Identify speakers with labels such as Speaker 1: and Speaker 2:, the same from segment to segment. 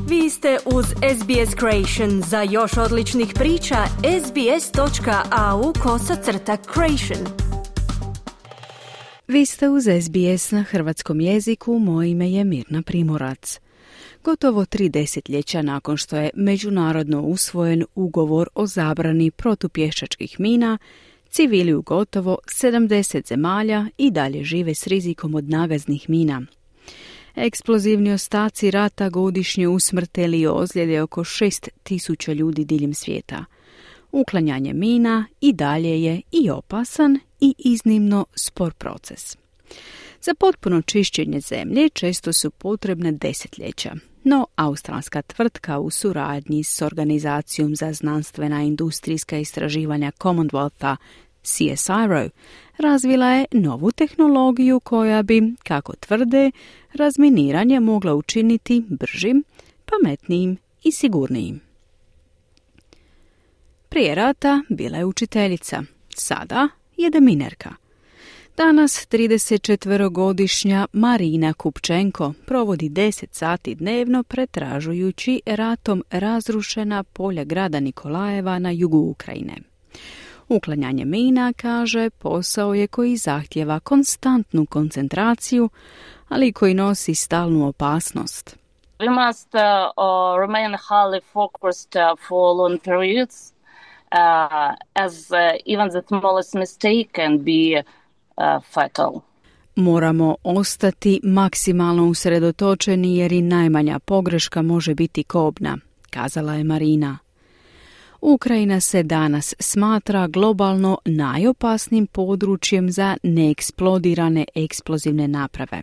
Speaker 1: Vi ste uz SBS Creation. Za još odličnih priča, sbs.au/creation.
Speaker 2: Vi ste uz SBS na hrvatskom jeziku, moje ime je Mirna Primorac. Gotovo 3 desetljeća nakon što je međunarodno usvojen ugovor o zabrani protupješačkih mina, civili u gotovo 70 zemalja i dalje žive s rizikom od nagaznih mina. Eksplozivni ostaci rata godišnje usmrte ili ozljede oko 6.000 ljudi diljem svijeta. Uklanjanje mina i dalje je i opasan i iznimno spor proces. Za potpuno čišćenje zemlje često su potrebne desetljeća, no australska tvrtka u suradnji s Organizacijom za znanstvena i industrijska istraživanja Commonwealtha, CSIRO, razvila je novu tehnologiju koja bi, kako tvrde, razminiranje mogla učiniti bržim, pametnijim i sigurnijim. Prije rata bila je učiteljica, sada je deminerka. Danas 34-godišnja Marina Kupčenko provodi 10 sati dnevno pretražujući ratom razrušena polja grada Nikolajeva na jugu Ukrajine. Uklanjanje mina, kaže, posao je koji zahtjeva konstantnu koncentraciju, ali koji nosi stalnu opasnost.
Speaker 3: We must remain highly focused for long periods, as even the smallest mistake can be fatal.
Speaker 2: Moramo ostati maksimalno usredotočeni jer i najmanja pogreška može biti kobna, kazala je Marina. Ukrajina se danas smatra globalno najopasnijim područjem za neeksplodirane eksplozivne naprave.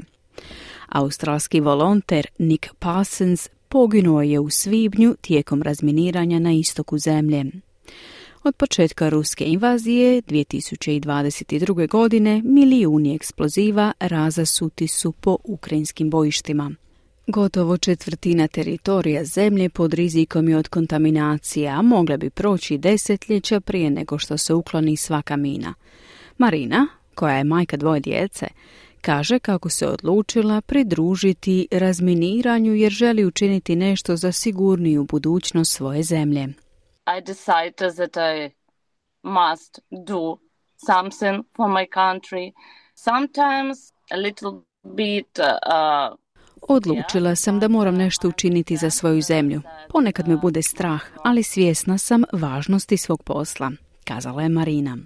Speaker 2: Australski volonter Nick Parsons poginuo je u svibnju tijekom razminiranja na istoku zemlje. Od početka ruske invazije 2022. godine milijuni eksploziva razasuti su po ukrajinskim bojištima. Gotovo četvrtina teritorija zemlje pod rizikom je od kontaminacije, a mogle bi proći desetljeća prije nego što se ukloni svaka mina. Marina, koja je majka 2 djece, kaže kako se odlučila pridružiti razminiranju jer želi učiniti nešto za sigurniju budućnost svoje zemlje.
Speaker 3: I decided that I must do something for my country. Sometimes a little bit
Speaker 2: Odlučila sam da moram nešto učiniti za svoju zemlju. Ponekad me bude strah, ali svjesna sam važnosti svog posla, kazala je Marina.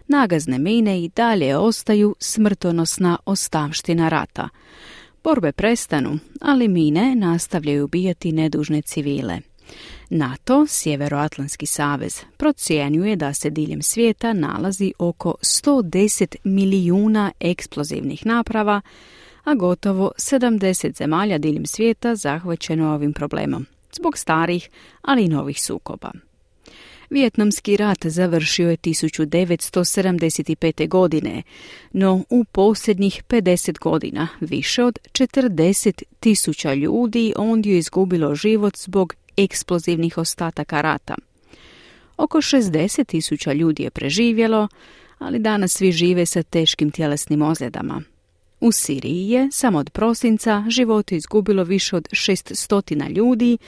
Speaker 2: Nagazne mine i dalje ostaju smrtonosna ostavština rata. Borbe prestanu, ali mine nastavljaju ubijati nedužne civile. NATO, Sjeveroatlantski savez, procjenjuje da se diljem svijeta nalazi oko 110 milijuna eksplozivnih naprava, a gotovo 70 zemalja diljem svijeta zahvaćeno ovim problemom, zbog starih, ali i novih sukoba. Vijetnamski rat završio je 1975. godine, no u posljednjih 50 godina više od 40.000 ljudi ondje je izgubilo život zbog eksplozivnih ostataka rata. Oko 60.000 ljudi je preživjelo, ali danas svi žive sa teškim tjelesnim ozljedama. U Siriji je samo od prosinca živote izgubilo više od 600 ljudi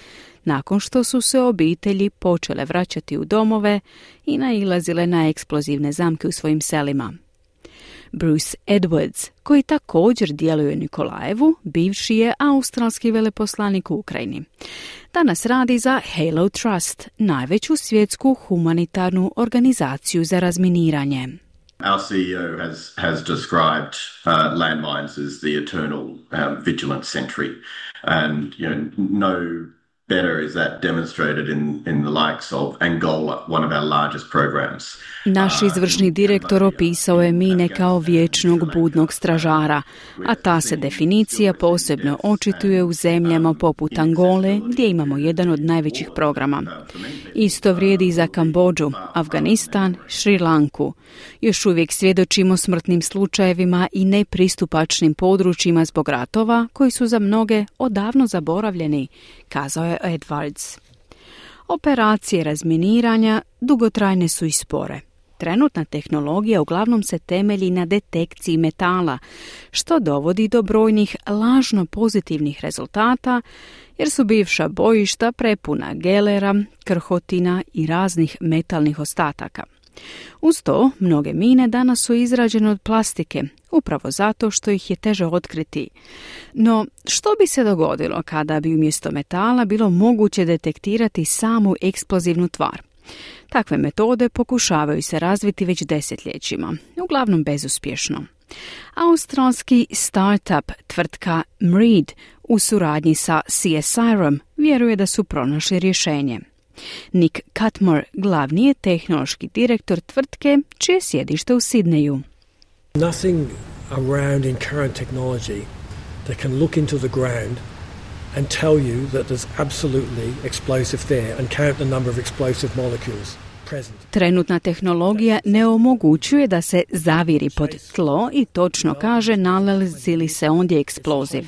Speaker 2: nakon što su se obitelji počele vraćati u domove i nailazile na eksplozivne zamke u svojim selima. Bruce Edwards, koji također djeluje u Nikolajevu, bivši je australski veleposlanik u Ukrajini. Danas radi za Halo Trust, najveću svjetsku humanitarnu organizaciju za razminiranje.
Speaker 4: Our CEO has described landmines as the eternal vigilant sentry, and no better is that demonstrated in the likes of Angola, one of our largest programs.
Speaker 2: Naš izvršni direktor opisao je mine kao vječnog budnog stražara, a ta se definicija posebno očituje u zemljama poput Angole, gdje imamo jedan od najvećih programa. Isto vrijedi i za Kambodžu, Afganistan, Šri Lanku. Još uvijek svjedočimo smrtnim slučajevima i nepristupačnim područjima zbog ratova koji su za mnoge odavno zaboravljeni, kazao je Edwards. Operacije razminiranja dugotrajne su i spore. Trenutna tehnologija uglavnom se temelji na detekciji metala, što dovodi do brojnih lažno pozitivnih rezultata, jer su bivša bojišta prepuna gelera, krhotina i raznih metalnih ostataka. Uz to, mnoge mine danas su izrađene od plastike, upravo zato što ih je teže otkriti. No, što bi se dogodilo kada bi umjesto metala bilo moguće detektirati samu eksplozivnu tvar? Takve metode pokušavaju se razviti već desetljećima, uglavnom bezuspješno. Australski startup tvrtka MREED u suradnji sa CSIRO-om vjeruje da su pronašli rješenje. Nick Cutmore glavni je tehnološki direktor tvrtke čije je sjedište u Sidneju.
Speaker 5: Nothing around in current technology that can look into the ground and tell you that there's absolutely explosive there and count the number of explosive molecules present.
Speaker 2: Trenutna tehnologija ne omogućuje da se zaviri pod tlo i točno kaže nalazi li se ondje eksploziv,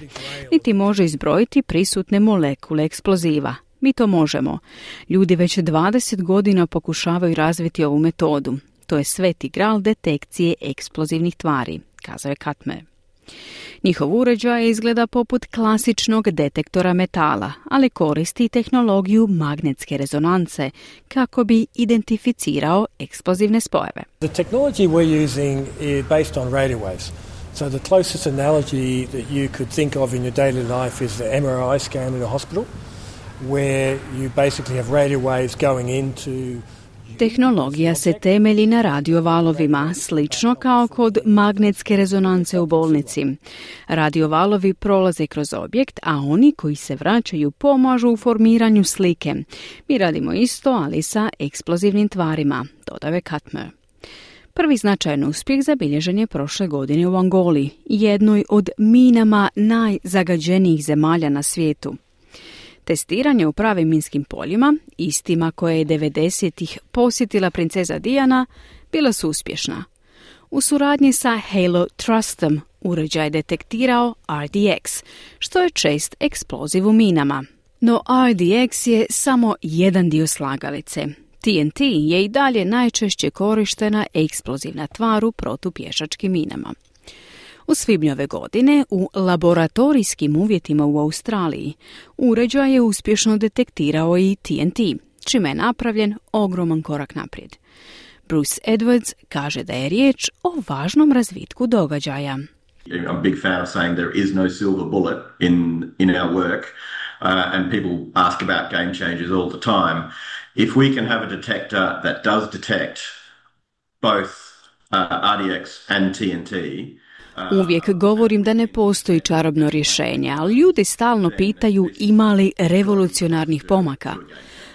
Speaker 2: niti može izbrojiti prisutne molekule eksploziva. Mi to možemo. Ljudi već 20 godina pokušavaju razviti ovu metodu. To je sveti gral detekcije eksplozivnih tvari, kazao je Cutmore. Njihov uređaj izgleda poput klasičnog detektora metala, ali koristi tehnologiju magnetske rezonance kako bi identificirao eksplozivne spojeve.
Speaker 5: The technology we're using is based on radio waves. So the closest analogy that you could think of in your daily life is the MRI scan in a hospital, where you basically have radio waves going into.
Speaker 2: Tehnologija se temelji na radiovalovima, slično kao kod magnetske rezonance u bolnici. Radiovalovi prolaze kroz objekt, a oni koji se vraćaju pomažu u formiranju slike. Mi radimo isto, ali sa eksplozivnim tvarima, dodao je Cutmore. Prvi značajan uspjeh zabilježen je prošle godine u Angoli, jednoj od minama najzagađenijih zemalja na svijetu. Testiranje u pravim minskim poljima, istima koje je 90-ih posjetila princeza Diana, bila su uspješna. U suradnji sa Halo Trustom uređaj je detektirao RDX, što je čest eksploziv u minama. No RDX je samo jedan dio slagalice. TNT je i dalje najčešće korištena eksplozivna tvar u protupješačkim minama. U svibnju ove godine u laboratorijskim uvjetima u Australiji uređaj je uspješno detektirao i TNT, čime je napravljen ogroman korak naprijed. Bruce Edwards kaže da je riječ o važnom razvitku događaja.
Speaker 4: I'm a big fan of saying there is no silver bullet in our work, and people ask about game changers all the time. If we can have a detector that does detect both RDX and TNT.
Speaker 2: Uvijek govorim da ne postoji čarobno rješenje, ali ljudi stalno pitaju ima li revolucionarnih pomaka.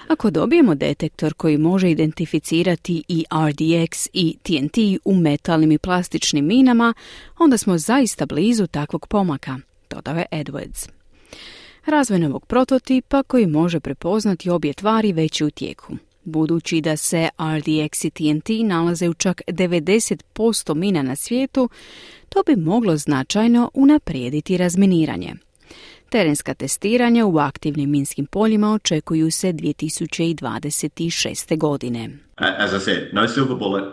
Speaker 2: Ako dobijemo detektor koji može identificirati i RDX i TNT u metalnim i plastičnim minama, onda smo zaista blizu takvog pomaka, dodao je Edwards. Razvoj novog prototipa koji može prepoznati obje tvari već je u tijeku. Budući da se RDX i TNT nalaze u čak 90% mina na svijetu, to bi moglo značajno unaprijediti razminiranje. Terenska testiranja u aktivnim minskim poljima očekuju se 2026. godine.
Speaker 4: As I said, no silver bullet,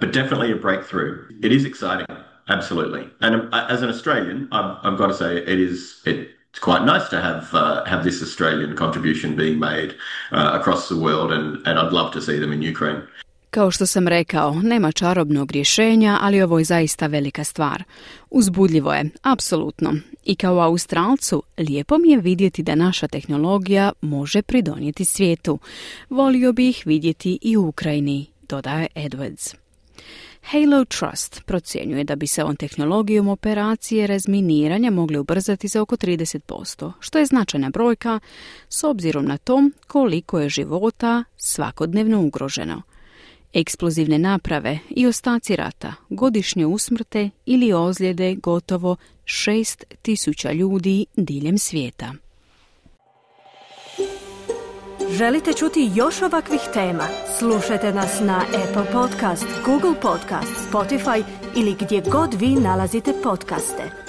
Speaker 4: but definitely a breakthrough. It is exciting, absolutely. And as an Australian, I've got to say it's quite nice to have this Australian contribution being made across the world, and I'd love to see them in Ukraine.
Speaker 2: Kao što sam rekao, nema čarobnog rješenja, ali ovo je zaista velika stvar. Uzbudljivo je, apsolutno. I kao Australcu, lijepo mi je vidjeti da naša tehnologija može pridonijeti svijetu. Volio bi ih vidjeti i u Ukrajini, dodaje Edwards. Halo Trust procjenjuje da bi se ovom tehnologijom operacije razminiranja mogle ubrzati za oko 30%, što je značajna brojka s obzirom na to koliko je života svakodnevno ugroženo. Eksplozivne naprave i ostaci rata godišnje usmrte ili ozljede gotovo 6.000 ljudi diljem svijeta.
Speaker 1: Želite čuti još ovakvih tema? Slušajte nas na Apple Podcast, Google Podcast, Spotify ili gdje god vi nalazite podcaste.